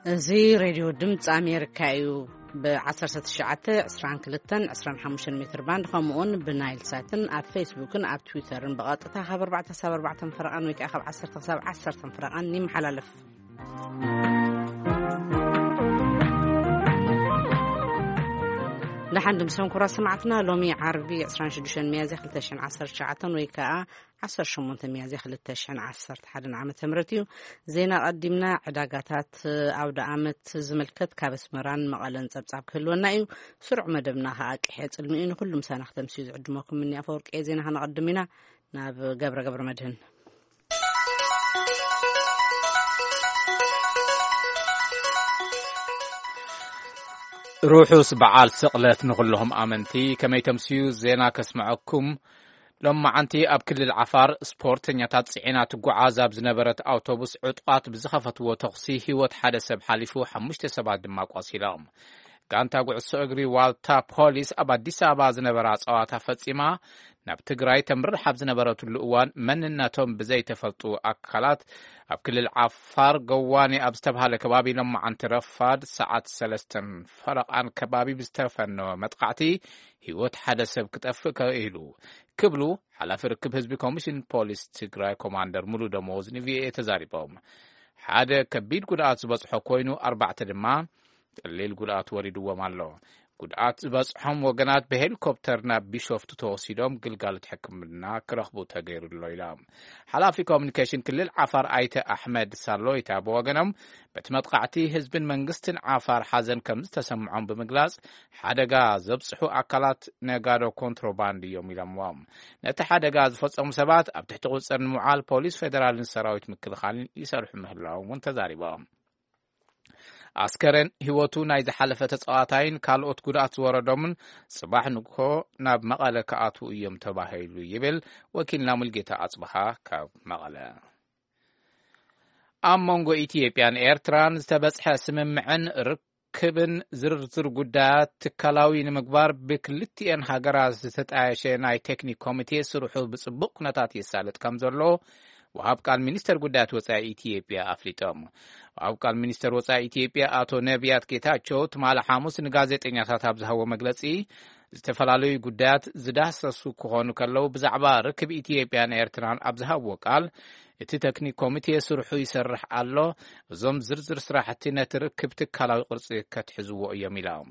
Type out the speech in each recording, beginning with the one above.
እዚ ሬድዮ ድምፂ ኣሜሪካ እዩ። ብ1922-25 ሜትር ባንድ፣ ከምኡውን ብናይል ሳትን ኣብ ፌስቡክን ኣብ ትዊተርን ብቐጥታ ካብ ኣርባዕተ ክሳብ ኣርባዕተ ፈረቓን ወይ ከዓ ካብ ዓሰርተ ክሳብ ዓሰርተ ፈረቓን ይመሓላለፍ። ደሓን ድምሰን ኩራ ሰማዕትና፣ ሎሚ ዓርቢ 26 ሚያዝያ 2019 ወይ ከዓ 18 ሚያዝያ 2011 ዓመተ ምህረት እዩ። ዜና ቀዲምና። ዕዳጋታት ኣውደ ዓመት ዝምልከት ካብ ኣስመራን መቐለን ጸብጻብ ክህልወና እዩ። ስሩዕ መደብና ከኣ ቅሐ ጽልሚ እዩ። ንኹሉ ምሳና ክተምስዩ ዝዕድመኩም እኒ ኣፈወርቂ ዜና ከነቐድም ኢና። ናብ ገብረ ገብረ መድህን። ርሑስ በዓል ስቕለት ንኹልኹም ኣመንቲ። ከመይ ተምስዩ? ዜና ከስምዐኩም። ሎማዓንቲ ኣብ ክልል ዓፋር ስፖርተኛታት ጽዒና ትጓዓዝ ኣብ ዝነበረት ኣውቶቡስ ዕጡቓት ብዝኸፈትዎ ተኹሲ ህይወት ሓደ ሰብ ሓሊፉ፣ ሓሙሽተ ሰባት ድማ ቆሲሎም። ጋንታ ጉዕሶ እግሪ ዋልታ ፖሊስ ኣብ ኣዲስ ኣበባ ዝነበራ ጸዋታ ፈጺማ ናብ ትግራይ ተምርሕ ኣብ ዝነበረትሉ እዋን መንነቶም ብዘይተፈልጡ ኣካላት ኣብ ክልል ዓፋር ገዋኔ ኣብ ዝተባሃለ ከባቢ ሎማዓንቲ ረፋድ ሰዓት ሰለስተን ፈረቓን ከባቢ ብዝተፈነወ መጥቃዕቲ ህይወት ሓደ ሰብ ክጠፍእ ክኢሉ ክብሉ ሓላፊ ርክብ ህዝቢ ኮሚሽን ፖሊስ ትግራይ ኮማንደር ሙሉ ደሞዝ ንቪኦኤ ተዛሪቦም። ሓደ ከቢድ ጉድኣት ዝበፅሖ ኮይኑ፣ ኣርባዕተ ድማ ቀሊል ጉድኣት ወሪድዎም ኣሎ። ጉድኣት ዝበፅሖም ወገናት ብሄሊኮፕተር ናብ ቢሾፍቱ ተወሲዶም ግልጋሎት ሕክምና ክረኽቡ ተገይሩ ኣሎ ኢሎም። ሓላፊ ኮሚኒኬሽን ክልል ዓፋር ኣይተ ኣሕመድ ሳሎይታ ብወገኖም፣ በቲ መጥቃዕቲ ህዝብን መንግስትን ዓፋር ሓዘን ከም ዝተሰምዖም ብምግላጽ፣ ሓደጋ ዘብጽሑ ኣካላት ነጋዶ ኮንትሮባንድ እዮም ኢሎምዎም። ነቲ ሓደጋ ዝፈጸሙ ሰባት ኣብ ትሕቲ ቁጽጽር ንምውዓል ፖሊስ ፌደራልን ሰራዊት ምክልኻልን ይሰርሑ ምህላዎም እውን ተዛሪቦም። ኣስከሬን ህይወቱ ናይ ዝሓለፈ ተጻዋታይን ካልኦት ጉድኣት ዝወረዶምን ጽባሕ ንግሆ ናብ መቐለ ክኣትዉ እዮም ተባሂሉ ይብል ወኪልና ሙልጌታ ኣጽብሃ ካብ መቐለ። ኣብ መንጎ ኢትዮጵያን ኤርትራን ዝተበጽሐ ስምምዕን ርክብን ዝርዝር ጉዳያት ትካላዊ ንምግባር ብክልቲኤን ሃገራት ዝተጣየሸ ናይ ቴክኒክ ኮሚቴ ስርሑ ብጽቡቕ ኩነታት የሳልጥ ከም ዘሎ ወሃብ ቃል ሚኒስተር ጉዳያት ወጻኢ ኢትዮጵያ ኣፍሊጦም። ወሃብ ቃል ሚኒስተር ወጻኢ ኢትዮጵያ ኣቶ ነቢያት ጌታቸው ትማሊ ሓሙስ ንጋዜጠኛታት ኣብ ዝሃቦ መግለጺ፣ ዝተፈላለዩ ጉዳያት ዝዳሰሱ ክኾኑ ከለዉ፣ ብዛዕባ ርክብ ኢትዮጵያን ኤርትራን ኣብ ዝሃብዎ ቃል፣ እቲ ቴክኒክ ኮሚቴ ስርሑ ይሰርሕ ኣሎ፣ እዞም ዝርዝር ስራሕቲ ነቲ ርክብ ትካላዊ ቅርጺ ከትሕዝዎ እዮም ኢሎም።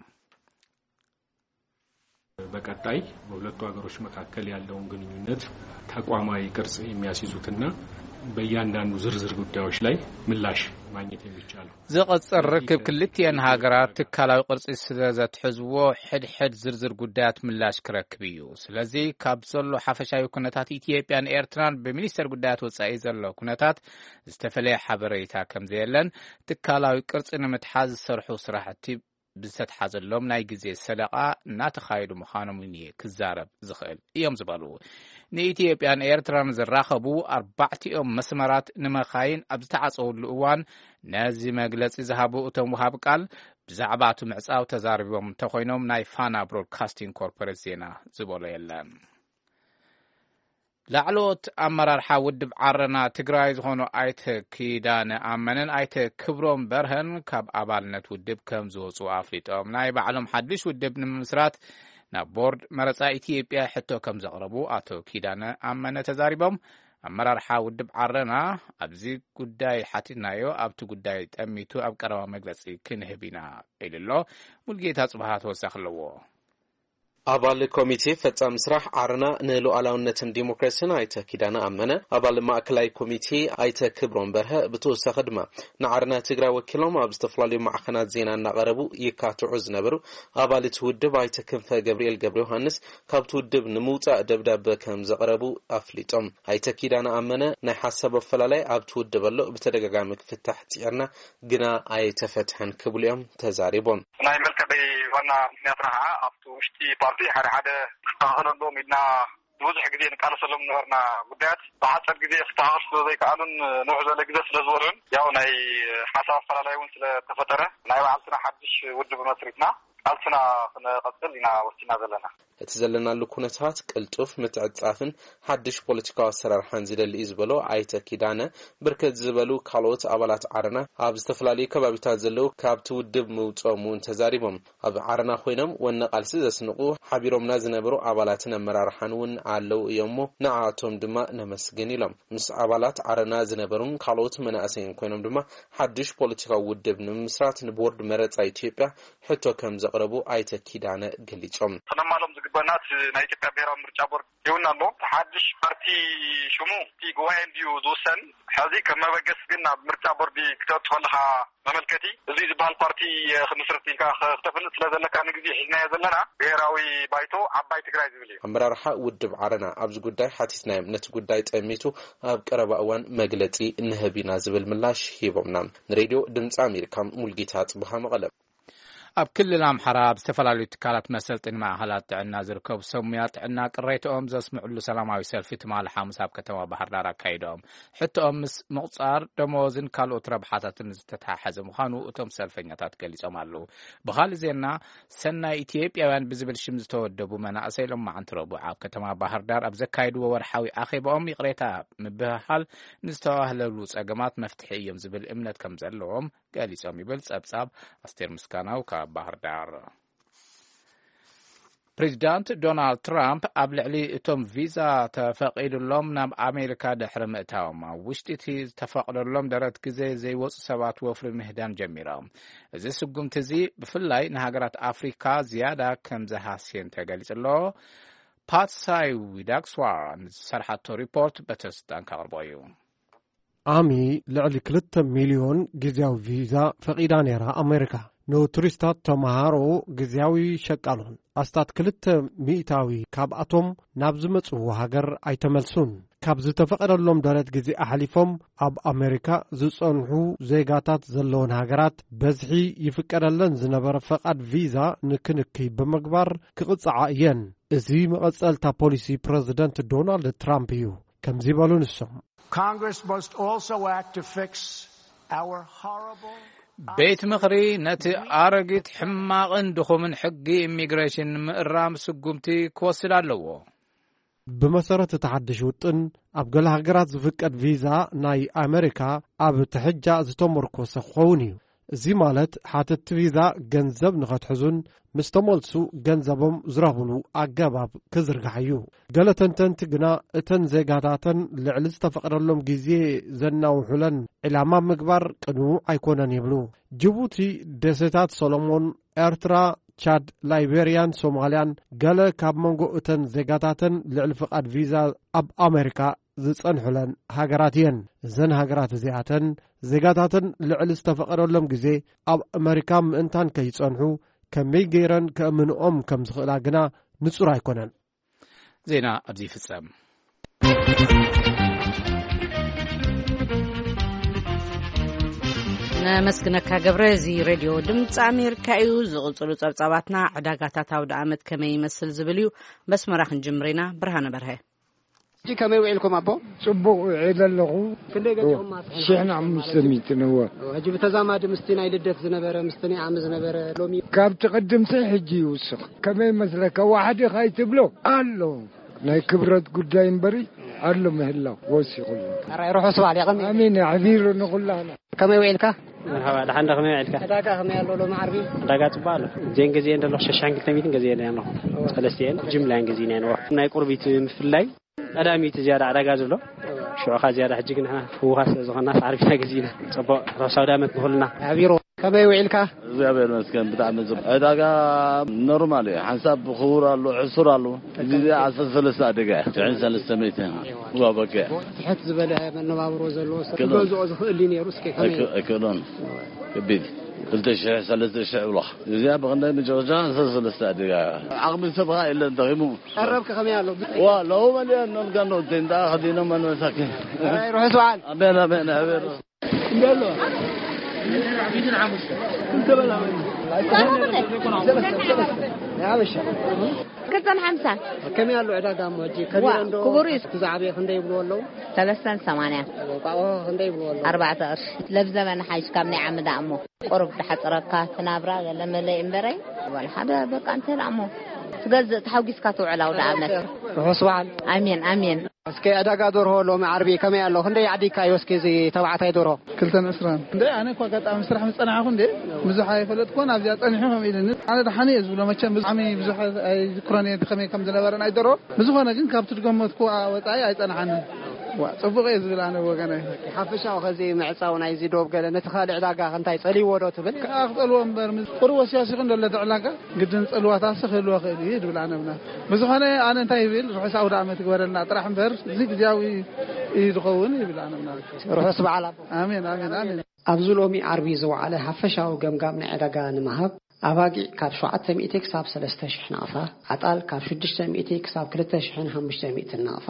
በቀጣይ በሁለቱ ሀገሮች መካከል ያለውን ግንኙነት ተቋማዊ ቅርጽ የሚያስይዙትና በእያንዳንዱ ዝርዝር ጉዳዮች ላይ ምላሽ ማግኘት የሚቻለው ዝቐጽል ርክብ ክልቲኤን ሃገራት ትካላዊ ቅርጺ ስለ ዘትሕዝዎ፣ ሕድሕድ ዝርዝር ጉዳያት ምላሽ ክረክብ እዩ። ስለዚ፣ ካብ ዘሎ ሓፈሻዊ ኩነታት ኢትዮጵያን ኤርትራን ብሚኒስተር ጉዳያት ወጻኢ ዘሎ ኩነታት ዝተፈለየ ሓበሬታ ከም ዘየለን፣ ትካላዊ ቅርጺ ንምትሓዝ ዝሰርሑ ስራሕቲ ብዝተትሓዘሎም ናይ ግዜ ሰደቓ እናተኻየዱ ምዃኖም እውን እየ ክዛረብ ዝኽእል እዮም ዝበሉ። ንኢትዮጵያን ኤርትራን ዘራኸቡ ኣርባዕቲኦም መስመራት ንመኻይን ኣብ ዝተዓጸውሉ እዋን፣ ነዚ መግለጺ ዝሃቡ እቶም ወሃብ ቃል፣ ብዛዕባ እቲ ምዕጻው ተዛሪቦም እንተኾይኖም፣ ናይ ፋና ብሮድካስቲንግ ኮርፖሬት ዜና ዝበሎ የለን። ላዕለዎት ኣመራርሓ ውድብ ዓረና ትግራይ ዝኾኑ ኣይተ ኪዳነ ኣመነን ኣይተ ክብሮም በርሀን ካብ ኣባልነት ውድብ ከም ዝወፁ ኣፍሊጦም። ናይ ባዕሎም ሓድሽ ውድብ ንምምስራት ናብ ቦርድ መረፃ ኢትዮጵያ ሕቶ ከም ዘቕረቡ ኣቶ ኪዳነ ኣመነ ተዛሪቦም። ኣመራርሓ ውድብ ዓረና ኣብዚ ጉዳይ ሓቲትናዮ፣ ኣብቲ ጉዳይ ጠሚቱ ኣብ ቀረባ መግለፂ ክንህብ ኢና ኢሉ ኣሎ። ሙልጌታ ጽብሃ ተወሳኺ ኣለዎ። ኣባል ኮሚቴ ፈጻሚ ስራሕ ዓረና ንሉዓላውነትን ዲሞክራሲን ኣይተ ኪዳነ ኣመነ፣ ኣባል ማእከላይ ኮሚቴ ኣይተ ክብሮም በርሀ፣ ብተወሳኺ ድማ ንዓረና ትግራይ ወኪሎም ኣብ ዝተፈላለዩ ማዕኸናት ዜና እናቐረቡ ይካትዑ ዝነበሩ ኣባል እቲ ውድብ ኣይተ ክንፈ ገብርኤል ገብረ ዮሃንስ ካብቲ ውድብ ንምውጻእ ደብዳበ ከም ዘቕረቡ ኣፍሊጦም። ኣይተ ኪዳነ ኣመነ፣ ናይ ሓሳብ ኣፈላላይ ኣብቲ ውድብ ኣሎ፣ ብተደጋጋሚ ክፍታሕ ጽዒርና፣ ግና ኣይተፈትሐን ክብሉ እዮም ተዛሪቦም። ናይ መልቀቂ ዋና ምክንያትና ከዓ ኣብቲ ውሽጢ ፓርቲ ሓደ ክስተኻኸል ኣለዎም ኢልና ንብዙሕ ግዜ ንቃለሰሎም ዝነበርና ጉዳያት ብሓፂር ግዜ ክስተኻኸል ስለ ዘይከኣሉን ንውሕ ዝበለ ግዜ ስለ ዝበልዑን፣ ያው ናይ ሓሳብ ኣፈላላይ እውን ስለተፈጠረ፣ ናይ ባዕልትና ሓድሽ ውድብ መስሪትና ቃልስና ክንቐፅል ኢና ወሲና ዘለና። እቲ ዘለናሉ ኩነታት ቅልጡፍ ምትዕጻፍን ሓድሽ ፖለቲካዊ ኣሰራርሓን ዝደሊ እዩ ዝበሎ ኣይተ ኪዳነ፣ ብርክት ዝበሉ ካልኦት ኣባላት ዓረና ኣብ ዝተፈላለዩ ከባቢታት ዘለዉ ካብቲ ውድብ ምውፅኦም እውን ተዛሪቦም። ኣብ ዓረና ኮይኖም ወነ ቃልሲ ዘስንቑ ሓቢሮምና ዝነበሩ ኣባላትን ኣመራርሓን እውን ኣለዉ እዮም እሞ ንዓኣቶም ድማ ነመስግን ኢሎም። ምስ ኣባላት ዓረና ዝነበሩን ካልኦት መናእሰይን ኮይኖም ድማ ሓድሽ ፖለቲካዊ ውድብ ንምምስራት ንቦርድ መረፃ ኢትዮጵያ ሕቶ ከም ዘቕረቡ ኣይተ ኪዳነ ገሊጾም። ክነማሎም ዝግበና እቲ ናይ ኢትዮጵያ ብሔራዊ ምርጫ ቦርድ ይውና ኣሎ። እቲ ሓድሽ ፓርቲ ሽሙ እቲ ጉባኤ እንድዩ ዝውሰን። ሕዚ ከም መበገሲ ግን ናብ ምርጫ ቦርዲ ክተብጽሖ ኣለኻ መመልከቲ። እዚ ዝበሃል ፓርቲ ክምስርት ኢልካ ክተፍልጥ ስለ ዘለካ ንግዜ ሒዝናዮ ዘለና ብሔራዊ ባይቶ ዓባይ ትግራይ ዝብል እዩ። ኣመራርሓ ውድብ ዓረና ኣብዚ ጉዳይ ሓቲትናዮም። ነቲ ጉዳይ ጠሚቱ ኣብ ቀረባ እዋን መግለጺ ንህብ ኢና ዝብል ምላሽ ሂቦምና። ንሬድዮ ድምፂ ኣሜሪካ ሙልጌታ ጽብሃ መቐለ። ኣብ ክልል ኣምሓራ ኣብ ዝተፈላለዩ ትካላት መሰልጥኒ ማእኸላት ጥዕና ዝርከቡ ሰብ ሙያ ጥዕና ቅሬታኦም ዘስምዕሉ ሰላማዊ ሰልፊ ትማሊ ሓሙስ ኣብ ከተማ ባህር ዳር ኣካይዶም። ሕቶኦም ምስ ምቑፃር ደመወዝን ካልኦት ረብሓታትን ዝተተሓሓዘ ምዃኑ እቶም ሰልፈኛታት ገሊጾም ኣለዉ። ብኻልእ ዜና፣ ሰናይ ኢትዮጵያውያን ብዝብል ሽም ዝተወደቡ መናእሰይ ሎማዓንቲ ረቡዕ ኣብ ከተማ ባህር ዳር ኣብ ዘካየድዎ ወርሓዊ ኣኼባኦም ይቕሬታ ምብህሃል ንዝተባህለሉ ጸገማት መፍትሒ እዮም ዝብል እምነት ከም ዘለዎም ገሊጾም ይብል ጸብጻብ ኣስቴር ምስጋናው ካብ ባህር ዳር። ፕሬዚዳንት ዶናልድ ትራምፕ ኣብ ልዕሊ እቶም ቪዛ ተፈቒዱሎም ናብ ኣሜሪካ ድሕሪ ምእታዎም ኣብ ውሽጢ እቲ ዝተፈቕደሎም ደረት ግዜ ዘይወፁ ሰባት ወፍሪ ምህዳን ጀሚሮም። እዚ ስጉምቲ እዚ ብፍላይ ንሃገራት ኣፍሪካ ዝያዳ ከም ዝሃስየን ተገሊጹ ኣሎ። ፓትሳይ ዊዳክስዋራ ንዝሰርሓቶ ሪፖርት በተስልጣን ከቕርቦ እዩ። ኣሚ ልዕሊ ክልተ ሚልዮን ግዜያዊ ቪዛ ፈቒዳ ነይራ ኣሜሪካ። ንቱሪስታት፣ ተምሃሮ፣ ግዜያዊ ሸቃሎን ኣስታት ክልተ ሚእታዊ ካብኣቶም ናብ ዝመጽዎ ሃገር ኣይተመልሱን። ካብ ዝተፈቐደሎም ደረት ግዜ ኣሕሊፎም ኣብ ኣሜሪካ ዝጸንሑ ዜጋታት ዘለወን ሃገራት በዝሒ ይፍቀደለን ዝነበረ ፈቓድ ቪዛ ንክንክይ ብምግባር ክቕጽዓ እየን። እዚ መቐጸልታ ፖሊሲ ፕረዚደንት ዶናልድ ትራምፕ እዩ። ከምዚ በሉ ንሶም። Congress must also act to fix our horrible ቤት ምኽሪ ነቲ ኣረጊት ሕማቕን ድኹምን ሕጊ ኢሚግሬሽን ንምእራም ስጉምቲ ክወስድ ኣለዎ። ብመሰረት እቲ ሓድሽ ውጥን፣ ኣብ ገለ ሃገራት ዝፍቀድ ቪዛ ናይ ኣመሪካ ኣብ ትሕጃ ዝተመርኮሰ ክኸውን እዩ። እዚ ማለት ሓተትቲ ቪዛ ገንዘብ ንኸትሕዙን ምስ ተመልሱ ገንዘቦም ዝረኽብሉ ኣገባብ ክዝርጋሕ እዩ። ገለ ተንተንቲ ግና እተን ዜጋታተን ልዕሊ ዝተፈቕደሎም ግዜ ዘናውሑለን ዕላማ ምግባር ቅኑዕ ኣይኮነን ይብሉ። ጅቡቲ፣ ደሴታት ሰሎሞን፣ ኤርትራ፣ ቻድ፣ ላይቤርያን ሶማልያን ገለ ካብ መንጎ እተን ዜጋታተን ልዕሊ ፍቓድ ቪዛ ኣብ ኣሜሪካ ዝጸንሑለን ሃገራት እየን። እዘን ሃገራት እዚኣተን ዜጋታተን ልዕሊ ዝተፈቐደሎም ግዜ ኣብ ኣመሪካ ምእንታን ከይጸንሑ ከመይ ገይረን ከእምንኦም ከም ዝኽእላ ግና ንጹር ኣይኮነን። ዜና ኣብዚ ይፍጸም። ነመስግነካ ገብረ። እዚ ሬድዮ ድምፂ ኣሜሪካ እዩ። ዝቕፅሉ ጸብጻባትና ዕዳጋታት ኣውደ ዓመት ከመይ ይመስል ዝብል እዩ። በስመራ ክንጅምር ኢና። ብርሃነ በርሀ። ሕጂ ከመይ ውዒልኩም ኣቦ? ጽቡቕ ውዒለ ኣለኹ። ክንደይ ገዚኹም ማስሕ? ሽሕን ሓሙሽተ ሚእትን እወ። ሕጂ ብተዛማዲ ምስቲ ናይ ልደት ዝነበረ፣ ምስቲ ናይ ዓሚ ዝነበረ ሎሚ? ካብቲ ቅድምሲ ሕጂ ይውስኽ። ከመይ መስለካ? ዋሕዲ ካይትብሎ ኣሎ። ናይ ክብረት ጉዳይ እምበሪ ኣሎ ምህላው ወሲኹሉ። ኣራይ ርሑስ በዓል የቐኒ። ኣሜን። ኣሕቢሩ ንኹላና። ከመይ ውዒልካ? መርሓባ፣ ደሓን ዶ፣ ከመይ ውዒልካ? ዕዳጋ ከመይ ኣሎ ሎሚ ዓርቢ? ዕዳጋ ጽቡቕ ኣሎ። እዚአን ገዚአን ዘለኹ ሸሻን ክልተ ሚእትን ገዚአን ኣለኹ። ሰለስቲአን ጅምላን ገዚእናየን ኣለኹ። ናይ ቁርቢት ምፍላይ ቀዳሚት ዝያዳ ዕዳጋ ዝብሎ። ሽዑኻ ዝያዳ ሕጂ ግን ንሕና ህውኻት ስለ ዝኾንና፣ ሳዕሪ ፊና ገዚእና። ጽቡቕ፣ ርሑስ ኣውደ ዓመት ንኹልና። ኣቢሮ፣ ከመይ ውዒልካ? እግዚኣብሔር ይመስገን፣ ብጣዕሚ ጽቡቕ። ዕዳጋ ኖርማል እዩ። ሓንሳብ ክቡር ኣሎ፣ ሕሱር ኣሎ። እዚ ዓሰርተ ሰለስተ ኣደጋ እያ። ትሽዓን ሰለስተ ሚእቲ። ዋ፣ በቃ። ትሕት ዝበለ መነባብሮ ዘለዎ ሰብ ክብሎ። ክገዝኦ ዝኽእል ድዩ ነይሩ? እስከ ከመይ? ኣይክ-፣ ኣይክእሎን። ከቢድ። ክልተ ሽሕ፣ ሰለስተ ሽሕ ብሎኻ። እዚኣ ብኽንደይ መጨረሻ ዓሰርተ ሰለስተ ኣደጋ። ዓቕሚ ሰብ ኸኣ የለን፣ ደኺሙ። ቀረብክ ከመይ ኣሎ? ዋ፣ ለው መሊኦም ኖልጋ ኖ፣ ቴንዳ ኸዲኖም መሳኪን። ኣይ፣ ርሑስ በዓል። ኣሜን፣ ኣሜን፣ ኣሜን። ክልተን ሓምሳን። ከመይ ኣሎ ዕዳጋ እሞ ሕጂ? ከቢድ ዋ፣ እንዶ ክቡር እዩ። እቲ ዝዓበየ ክንደይ ይብልዎ ኣለዉ? ሰለስተን ሰማንያን። እንቋቑሖ ክንደይ ይብልዎ ኣለዉ? ኣርባዕተ ቅርሺ። ለብ ዘመን ሓይሽ ካብ ናይ ዓሚ ደኣ እሞ። ቁሩብ ዝሓጽረካ ትናብራ ገለ መለ እምበረይ። ወላ ሓደ በቃ እንተ ደኣ እሞ። ትገዝእ ተሓጒስካ ትውዕል ኣውደ ዓመት። ርሑስ በዓል። ኣሜን፣ ኣሜን። እስከ ዕዳጋ ደርሆ ሎሚ ዓርቢ ከመይ ኣሎ? ክንደይ ዓዲግካዮ እስኪ እዚ ተባዕታይ ደርሆ? ክልተን ዕስራን። እንደ ኣነ እኮ ኣጋጣሚ ስራሕ ምስ ጸናሕኩ እንደ ብዙሕ ኣይፈለጥኩን፣ ኣብዚኣ ጸኒሑ ከም ኢሉኒ። ኣነ ደሓን እየ ዝብሎ፣ መቸም ብጣዕሚ ብዙሕ ኣይዝክሮን እየ ከመይ ከም ዝነበረ ናይ ደርሆ። ብዝኾነ ግን ካብቲ ዝገመትኩ ወጻኢ ኣይጸንሓንን። ዋ፣ ጽቡቕ እየ ዝብል ኣነ ብወገነይ። ሓፈሻዊ ኸዚ ምዕጻው ናይዚ ዶብ ገለ ነቲ ካልእ ዕዳጋ እንታይ ጸልይዎ ዶ ትብል? ከኣ ክጸልዎ እምበር፣ ምስ ቁሩብ ወሲያስ ይኹን ዘሎ እቲ ዕዳጋ ግድን ጸልዋታሲ ክህልዎ ክእል እዩ ዝብል ኣነ እምነት። ብዝኾነ ኣነ እንታይ ይብል፣ ርሑስ ኣውደ ዓመት ይግበረልና ጥራሕ እምበር፣ እዚ ግዜያዊ እዩ ዝኸውን ይብል ኣነ እምነት። ርሑስ በዓል ኣቦ። ኣሜን፣ ኣሜን፣ ኣሜን። ኣብዚ ሎሚ ዓርቢ ዝወዓለ ሓፈሻዊ ገምጋም ናይ ዕዳጋ ንምሃብ፣ ኣባጊዕ ካብ ሸውዓተ ሚእቲ ክሳብ ሰለስተ ሽሕ ናቕፋ፣ ኣጣል ካብ ሽዱሽተ ሚእቲ ክሳብ ክልተ ሽሕን ሓሙሽተ ሚእትን ናቕፋ፣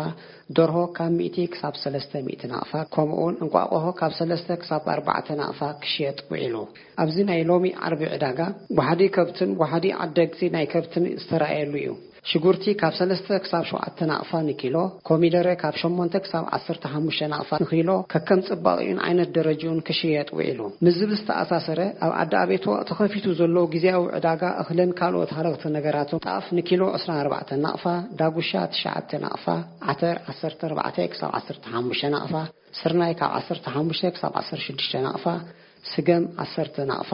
ደርሆ ካብ ሚእቲ ክሳብ ሰለስተ ሚእቲ ናቕፋ፣ ከምኡውን እንቋቑሖ ካብ ሰለስተ ክሳብ ኣርባዕተ ናቕፋ ክሽየጥ ውዒሉ። ኣብዚ ናይ ሎሚ ዓርቢ ዕዳጋ፣ ዋሕዲ ከብትን ዋሕዲ ዓደግቲ ናይ ከብትን ዝተራእየሉ እዩ። ሽጉርቲ ካብ ሰለስተ ክሳብ ሸውዓተ ናቕፋ ንኪሎ፣ ኮሚደረ ካብ ሸሞንተ ክሳብ ዓሰርተ ሓሙሽተ ናቕፋ ንኪሎ፣ ከከም ጽባቕኡን ዓይነት ደረጅኡን ክሽየጥ ውዒሉ። ምስዚ ብዝተኣሳሰረ፣ ኣብ ዓዲ ኣቤቶ ተኸፊቱ ዘሎ ግዜያዊ ዕዳጋ እኽልን ካልኦት ሃለኽቲ ነገራትን፣ ጣፍ ንኪሎ ዕስራን ኣርባዕተን ናቕፋ፣ ዳጉሻ ትሽዓተ ናቕፋ፣ ዓተር ዓሰርተ ኣርባዕተ ክሳብ ዓሰርተ ሓሙሽተ ናቕፋ፣ ስርናይ ካብ ዓሰርተ ሓሙሽተ ክሳብ ዓሰርተ ሽዱሽተ ናቕፋ፣ ስገም ዓሰርተ ናቕፋ፣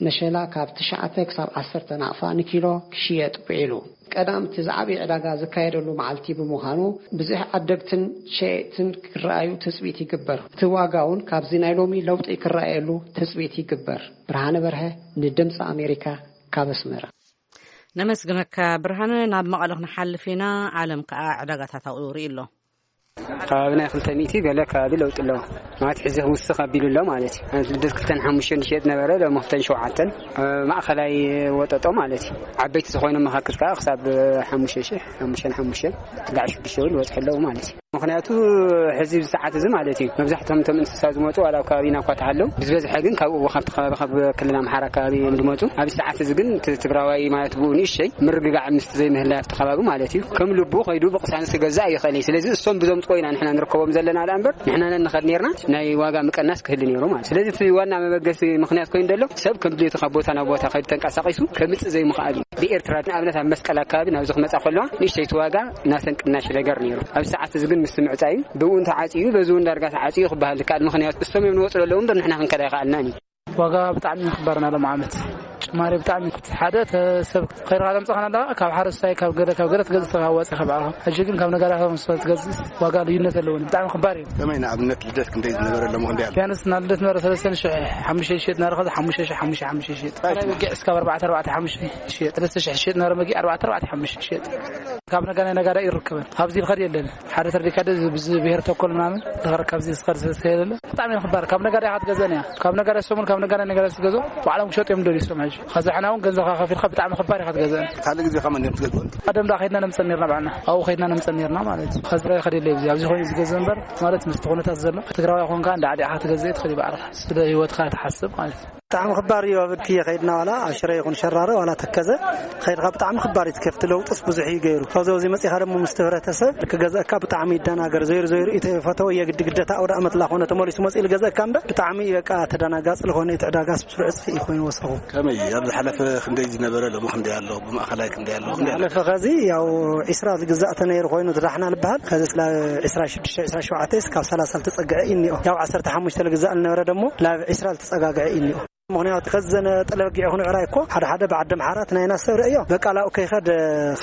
መሸላ ካብ ትሽዓተ ክሳብ ዓሰርተ ናቕፋ ንኪሎ ክሽየጥ ውዒሉ። ቀዳም እቲ ዝዓበየ ዕዳጋ ዝካየደሉ መዓልቲ ብምዃኑ፣ ብዝሒ ዓደግትን ሸየጥትን ክረኣዩ ትጽቢት ይግበር። እቲ ዋጋ እውን ካብዚ ናይ ሎሚ ለውጢ ክረኣየሉ ትጽቢት ይግበር። ብርሃነ በርሀ፣ ንድምፂ ኣሜሪካ፣ ካብ ኣስመራ። ነመስግነካ ብርሃነ። ናብ መቐለ ክንሓልፍ ኢና። ዓለም ከኣ ዕዳጋታት ኣብኡ ርኢ ኣሎ። ከባቢ ናይ ክልተ ሚእቲ ገለ ከባቢ ለውጢ ኣለዎ። ማለት ሕዚ ክውስኽ ኣቢሉ ኣሎ ማለት እዩ። ኣነት ልደት ክልተን ሓሙሽተን ዝሸጥ ነበረ፣ ሎሚ ክልተን ሸውዓተን፣ እ፣ ማእኸላይ ወጠጦ ማለት እዩ። ዓበይቲ ዝኾይኖም መኻክል ከዓ ክሳብ ሓሙሽተ ሽሕ፣ ሓሙሽተን ሓሙሽተን፣ ስጋዕ ሽዱሽተ እውን ዝበፅሑ ኣለዉ ማለት እዩ። ምኽንያቱ ሕዚ ብሰዓት እዚ ማለት እዩ፣ መብዛሕትኦም እቶም እንስሳ ዝመፁ ዋላ ኣብ ከባቢና እኳ ተሃለው፣ ብዝበዝሐ ግን ካብኡ ካብቲ ከባቢ ካብ ክልል ኣምሓራ ከባቢ እዮም ዝመፁ። ኣብ ሰዓት እዚ ግን እቲ ትግራዋይ ማለት ብኡ ንእሸይ ምርግጋዕ ምስቲ ዘይምህላይ ኣብቲ ከባቢ ማለት እዩ፣ ከም ልቡ ከይዱ ብቕሳንስ ክገዛእ ይኽእል እዩ። ስለዚ እሶም ብዞም ጥቆ ኢና ንሕና ንርከቦም ዘለና ደኣ እምበር፣ ንሕና ነንኸድ ነርና ናይ ዋጋ ምቅናስ ክህሉ ነይሩ ማለት። ስለዚ እቲ ዋና መበገሲ ምኽንያት ኮይኑ ዘሎ ሰብ ከም ድሌቱ ካብ ቦታ ናብ ቦታ ከይዱ ተንቀሳቒሱ ከምጽእ ዘይምኽኣል እዩ። ብኤርትራ ንኣብነት ኣብ መስቀል ኣካባቢ ናብዚ ክመጻ ከለዋ ንእሽተይቲ ዋጋ ናተን ቅናሽ ነገር ነይሩ። ኣብ ሰዓት እዚ ግን ምስ ምዕጻዩ ብኡ እንተዓጽዩ በዚ እውን ዳርጋ ተዓጽዩ ክበሃል ይከኣል። ምኽንያቱ እሶም እዮም ንወጽኡ ዘለዉ እምበር ንሕና ክንከዳ ኣይከኣልናን እዩ። ዋጋ ብጣዕሚ እዩ ክባርና ሎም ዓመት ጭማሪ ብጣዕሚ። ሓደ ተ-፣ ሰብ ከይርኻ ዘምጽኻና ኣለኻ፣ ካብ ሓረስታይ ካብ ገለ ካብ ገለ ትገዝእ ተኻዋፂ ካብ ዓኻ። ሕጂ ግን ካብ ነጋዳ ካብ መስፈር ትገዝእ ዋጋ ልዩነት ኣለዎ፣ ብጣዕሚ ክባር እዩ። ከመይ ንኣብነት ልደት ክንደይ ዝነበረ ሎሚ ክንደይ ኣሎ? ቢያንስ ናብ ልደት ነበረ ሰለስተ ሽሕ ሓሙሽተ ይሸጥ ነበረ፣ ከዚ ሓሙሽተ ሽሕ ሓሙሽተ ሓሙሽተ ይሸጥ። ጥራይ በጊዕ እስካብ ኣርባዕተ ኣርባዕተ ሓሙሽተ ይሸጥ። ሰለስተ ሽሕ ይሸጥ ነበረ በጊዕ ኣርባዕተ ኣርባዕተ ሓሙሽተ ይሸጥ። ካብ ነጋዳይ ነጋዳይ ይርከበን። ኣብዚ ዝኸድ የለን። ሓደ ተርዲካ ደ ብዚ ብሄር ተኮር ምናምን ዝኸር ካብዚ ዝኸር ስለዘየለ ብጣዕሚ እዩ ክባር። ካብ ነጋዳይ ኢኻ ትገዝእን እያ። ካብ ነጋዳይ ሰሙን ካብ ነጋዳይ ነጋዳይ ትገዝኦ ባዕሎም ክሸጡ እዮም ደልዩ እሶም ሕጂ። ኸዚ ሕና እውን ገንዘብካ ከፊልካ ብጣዕሚ ክባር ኢኻ ትገዝእን። ካልእ ግዜ ከመን እዮም ትገዝእን? ቀደም ደኣ ከይድና ነምፀን ነርና ባዕልና። ኣብኡ ከይድና ነምፀን ነርና ማለት እዩ። ኸዚ ራይ ኸደ የለ ኣብዚ። ኣብዚ ኮይኑ ዝገዝእ እምበር ማለት ምስቲ ኩነታት ዘሎ ትግራዋይ ኮንካ እንዳ ዓዲዕኻ ትገዝእ ትኽእል እዩ ባዕልኻ። ስለ ህይወትካ ትሓስብ ማለት እዩ። ብጣዕሚ ክባር እዩ። ኣብ እድክየ ከይድና ዋላ ኣብ ሽረ ይኹን ሸራሮ ዋላ ተከዘ ኸይድካ ብጣዕሚ ክባር እዩ። ከፍቲ ለውጥስ ብዙሕ እዩ ገይሩ። ካብዚ ኣብዚ መጺኻ ደሞ ምስቲ ህብረተሰብ ክገዝአካ ብጣዕሚ ይደናገር። ዘይሩ ዘይሩ እዩ ተፈተወ የግዲ ግደታ ኣውደ ኣመት ላኾነ ተመሊሱ መጺኡ ልገዝአካ እምበር ብጣዕሚ እዩ በቃ ተደናጋጺ ልኾነ እቲ ዕዳጋስ ብስሩ ዕጽፊ እዩ ኮይኑ ወሰኹ። ከመይ ኣብ ዝሓለፈ ክንደይ ዝነበረ ሎሚ ክንደይ ኣሎ? ብማእኸላይ ክንደይ ኣሎ? ክንደይ ኣሎ? ዝሓለፈ ኸዚ ያው ዒስራ ዝግዛእ ተነይሩ ኮይኑ ዝዳሕና ልበሃል። ኸዚ ስለ ዒስራ ሽዱሽተ ዒስራ ሸውዓተ እስካብ ሰላሳ ልተጸግዐ እዩ እኒኦ። ያው ዓሰርተ ሓሙሽተ ልግዛእ ልነበረ ደሞ ላብ ዒስራ ልተጸጋግዐ እዩ እኒኦ። ምኽንያቱ ከዘነ ጠለበጊዕ ይኹን ዕራይ እኮ ሓደ ሓደ ብዓዲ ኣምሓራ እቲ ናይና ሰብ ርእዮ በቃ ላኡ ከይኸድ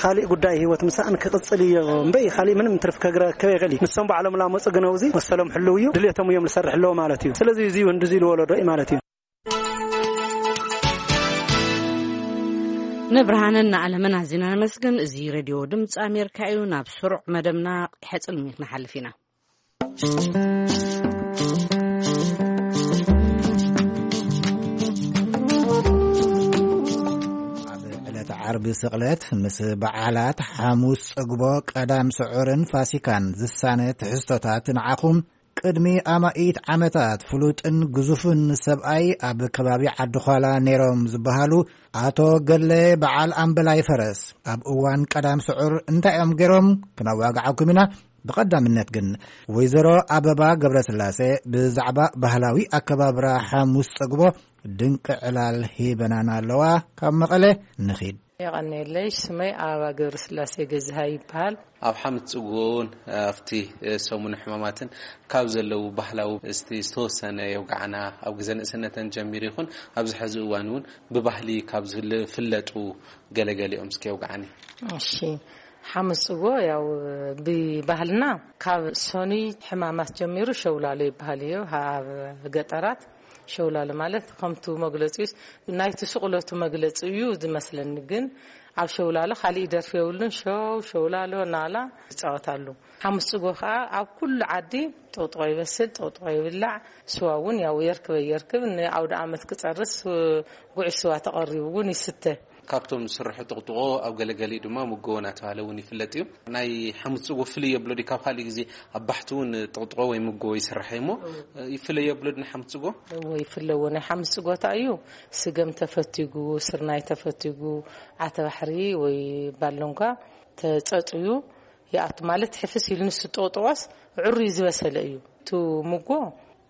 ካሊእ ጉዳይ ህይወት ምሳእን ክቕጽል እዮ እምበይ ካሊእ ምንም ትርፍ ከግረከብ ይኽእል እዩ። ንሶም ባዕሎም ላመፁ ግን ኣብዚ መሰሎም ሕልው እዩ፣ ድልየቶም እዮም ዝሰርሕ ኣለዎ ማለት እዩ። ስለዚ እዚ እዩ ህንዲ እዚ ልወለዶ እዩ ማለት እዩ። ንብርሃንን ንዓለምን ኣዚና ነመስግን። እዚ ሬድዮ ድምፂ ኣሜሪካ እዩ። ናብ ስሩዕ መደብና ሕፅል ክንሓልፍ ኢና። ኣብ ዕለተ ዓርቢ ስቕለት ምስ በዓላት ሓሙስ ጽግቦ፣ ቀዳም ስዑርን ፋሲካን ዝሳነ ትሕዝቶታት ንዓኹም። ቅድሚ ኣማኢት ዓመታት ፍሉጥን ግዙፍን ሰብኣይ ኣብ ከባቢ ዓዲ ዃላ ነይሮም ዝበሃሉ ኣቶ ገለ በዓል ኣምበላይ ፈረስ ኣብ እዋን ቀዳም ስዑር እንታይ እዮም ገይሮም ክነዋግዓኩም ኢና። ብቐዳምነት ግን ወይዘሮ ኣበባ ገብረስላሴ ብዛዕባ ባህላዊ ኣከባብራ ሓሙስ ጸግቦ ድንቂ ዕላል ሂበናና ኣለዋ። ካብ መቐለ ንኺድ። የቐንየለይ። ስመይ ኣበባ ገብረስላሴ ገዝሃ ይበሃል። ኣብ ሓምት ጽጉ እውን ኣብቲ ሰሙን ሕማማትን ካብ ዘለዉ ባህላዊ እስቲ ዝተወሰነ የውግዓና። ኣብ ግዜ ንእስነተን ጀሚሩ ይኹን ኣብዚ ሕዚ እዋን እውን ብባህሊ ካብ ዝፍለጡ ገለገሊኦም እስኪ የውግዓኒ። እሺ፣ ሓምስ ጽጎ ያው ብባህልና ካብ ሰኑይ ሕማማት ጀሚሩ ሸውላሎ ይበሃል እዩ። ኣብ ገጠራት ሸውላሎ ማለት ከምቱ መግለጺ ናይቲ ስቕለቱ መግለጺ እዩ ዝመስለኒ። ግን ኣብ ሸውላሎ ካሊእ ደርፊ የብሉን። ሸው ሸውላሎ ናላ ይጻወታሉ። ሓምስ ጽጎ ከኣ ኣብ ኩሉ ዓዲ ጥቕጥቆ ይበስል፣ ጥቕጥቆ ይብላዕ፣ ስዋ እውን ያው የርክበ የርክብ ንኣውደ ዓመት ክጸርስ ጉዕሽ ስዋ ተቐሪቡ እውን ይስተ። ካብቶም ዝስርሑ ጥቕጥቆ ኣብ ገለገሊኡ ድማ ምጎ እናተባህለ እውን ይፍለጥ እዩ። ናይ ሓምስ ጽጎ ፍልይ የብሎ ድዩ? ካብ ካልእ ግዜ ኣብ ባሕቲ እውን ጥቕጥቆ ወይ ምጎ ይስራሕ እዩ እሞ፣ ይፍለይ የብሎ ድዩ ናይ ሓምስ ጽጎ? እዎ ይፍለዎ። ናይ ሓምስ ጽጎታ እዩ። ስገም ተፈቲጉ፣ ስርናይ ተፈቲጉ፣ ዓተባሕሪ ወይ ባሎንጓ ተጸጽዩ ይኣቱ። ማለት ሕፍስ ኢሉ ንሱ ጥቕጥቆስ ዕሩይ ዝበሰለ እዩ። እቲ ምጎ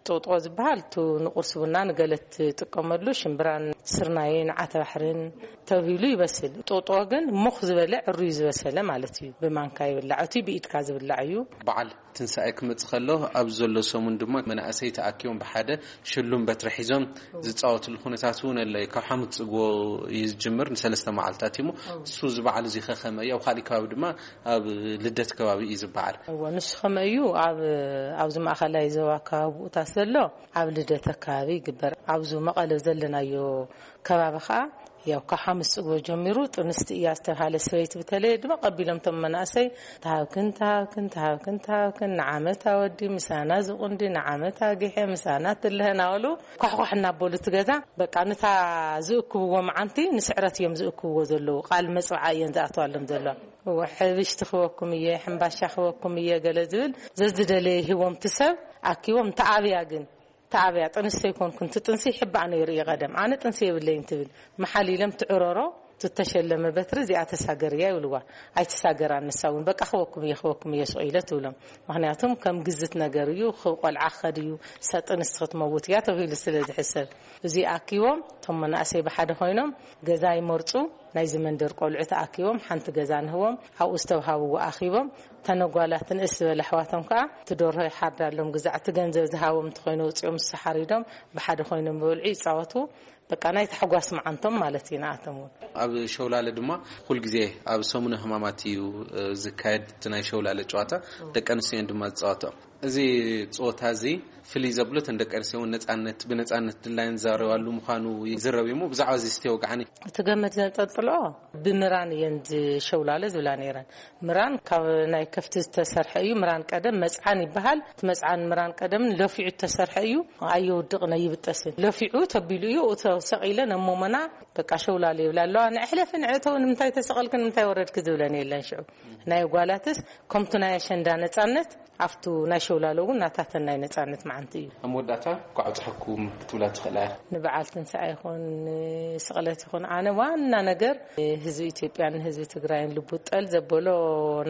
ጥቕጥቆ ዝበሃል፣ እቱ ንቁርሲ ቡና ንገለ ትጥቀመሉ ሽምብራን ስርናይን ዓተባሕርን ተብሂሉ ይበስል። ጥቕጥቆ ግን ሙኽ ዝበለ ዕሩይ ዝበሰለ ማለት እዩ። ብማንካ ይብላዕ። እቲ ብኢድካ ዝብላዕ እዩ። በዓል ትንሳኤ ክመጽእ ከሎ ኣብ ዘሎ ሰሙን ድማ መናእሰይ ተኣኪቦም ብሓደ ሽሉም በትሪ ሒዞም ዝጻወትሉ ኩነታት እውን ኣሎ። ካብ ሓሙስ ጽግቦ እዩ ዝጅምር፣ ንሰለስተ መዓልታት እዩ። እሱ እዚ በዓል እዚ ከ ከመይ እዩ? ኣብ ካሊእ ከባቢ ድማ ኣብ ልደት ከባቢ እዩ ዝበዓል። እዎ፣ ንሱ ከመይ እዩ? ኣብ፣ ኣብዚ ማእኸላይ ዞባ ከባቢ ብኡታት ዘሎ ኣብ ልደት ከባቢ ይግበር። ኣብዚ መቐለ ዘለናዮ ከባቢ ከዓ ያው ካብ ሓሙስ ጽግቦ ጀሚሩ ጥንስቲ እያ ዝተባሃለ ሰበይቲ ብተለየ ድማ ቀቢሎም እቶም መናእሰይ ተሃብክን፣ ተሃብክን፣ ተሃብክን፣ ተሃብክን፣ ንዓመት ኣወዲ ምሳና ዝቁንዲ፣ ንዓመት ኣጊሐ ምሳና ትልሀ እናበሉ ኳሕኳሕ እናበሉ እቲ ገዛ በቃ ነታ ዝእክብዎ መዓንቲ ንስዕረት እዮም ዝእክብዎ ዘለዉ። ቃል መጽብዓ እየን ዝኣትዋሎም ዘለዋ። እወ፣ ሕብሽቲ ክበኩም እየ፣ ሕምባሻ ክበኩም እየ ገለ ዝብል ዘዝደለየ ሂቦም እቲ ሰብ ኣኪቦም ተኣብያ ግን ተኣብያ፣ ጥንሲ ኣይኮንኩን፣ እቲ ጥንሲ ይሕባእ ነይሩ እዩ ቀደም። ኣነ ጥንሲ የብለይን ትብል። መሓል ኢሎም ትዕረሮ፣ ትተሸለመ በትሪ እዚኣ ተሳገርያ ይብልዋ። ኣይትሳገራን ንሳ እውን፣ በቃ ክበኩም እየ፣ ክበኩም እየ ሱቕ ኢለ ትብሎም። ምኽንያቱም ከም ግዝት ነገር እዩ፣ ክብ ቆልዓ ክኸድ እዩ፣ እሳ ጥንሲ ክትመውት እያ ተባሂሉ ስለ ዝሕሰብ። እዚ ኣኪቦም፣ እቶም መናእሰይ ብሓደ ኮይኖም ገዛ ይመርጹ፣ ናይዚ መንደር ቆልዑ ተኣኪቦም ሓንቲ ገዛ ንህቦም፣ ኣብኡ ዝተውሃብዎ ኣኺቦም፣ እተን ጓላት ንእስ ዝበለ ኣሕዋቶም ከኣ እቲ ደርሆ ይሓርዳሎም፣ ግዛዕ እቲ ገንዘብ ዝሃቦም እንተኾይኑ ኣውጺኦም ንሱ ሓሪዶም ብሓደ ኮይኖም ይበልዑ ይጻወቱ። በቃ ናይ ታሕጓስ መዓንቶም ማለት እዩ ንኣቶም እውን። ኣብ ሸውላለ ድማ ኩል ግዜ ኣብ ሰሙነ ሕማማት እዩ፣ እ፣ ዝካየድ እቲ ናይ ሸውላለ ጨዋታ። ደቂ ኣንስትዮ ድማ ዝጻወትኦ። እዚ ጸወታ እዚ ፍልይ ዘብሎ እተን ደቂ ኣንስትዮ እውን ነጻነት፣ ብነጻነት ድላየን ዝዛረባሉ ምዃኑ ይዝረብ እዩ። እሞ ብዛዕባ እዚ እስቲ ወግዓኒ። እቲ ገመድ ዘንጠልጥሎ ብምራን እየን ዝሸውላለ ዝብላ ነይረን። ምራን ካብ ናይ ከፍቲ ዝተሰርሐ እዩ። ምራን ቀደም መጽዓን ይበሃል። እቲ መጽዓን ምራን ቀደም ለፊዑ ዝተሰርሐ እዩ። ኣየውድቕን ኣይብጠስን። ለፊዑ ተቢሉ እዩ። እቶ ሰቒለን ኣብ ሞሞና በቃ ሸውላለ ይብላ ኣለዋ። ንዕሕለፊ ንዕእተው ንምንታይ ተሰቐልክን ንምንታይ ወረድክ ዝብለን የለን። ሽዑ ናይ ጓላትስ ከምቱ ናይ ኣሸንዳ ነጻነት ኣብቱ ናይ ሸውላለ እውን ናታተን ናይ ነጻነት መዓንቲ እዩ። ኣብ መወዳእታ እንኳዕ ኣብፀሐኩም ክትብላ ትኽእላ ኢኻ። ንበዓል ትንሳኤ ይኹን ንስቕለት ይኹን ኣነ ዋና ነገር ህዝቢ ኢትዮጵያን ንህዝቢ ትግራይን ልቡ ጠል ዘበሎ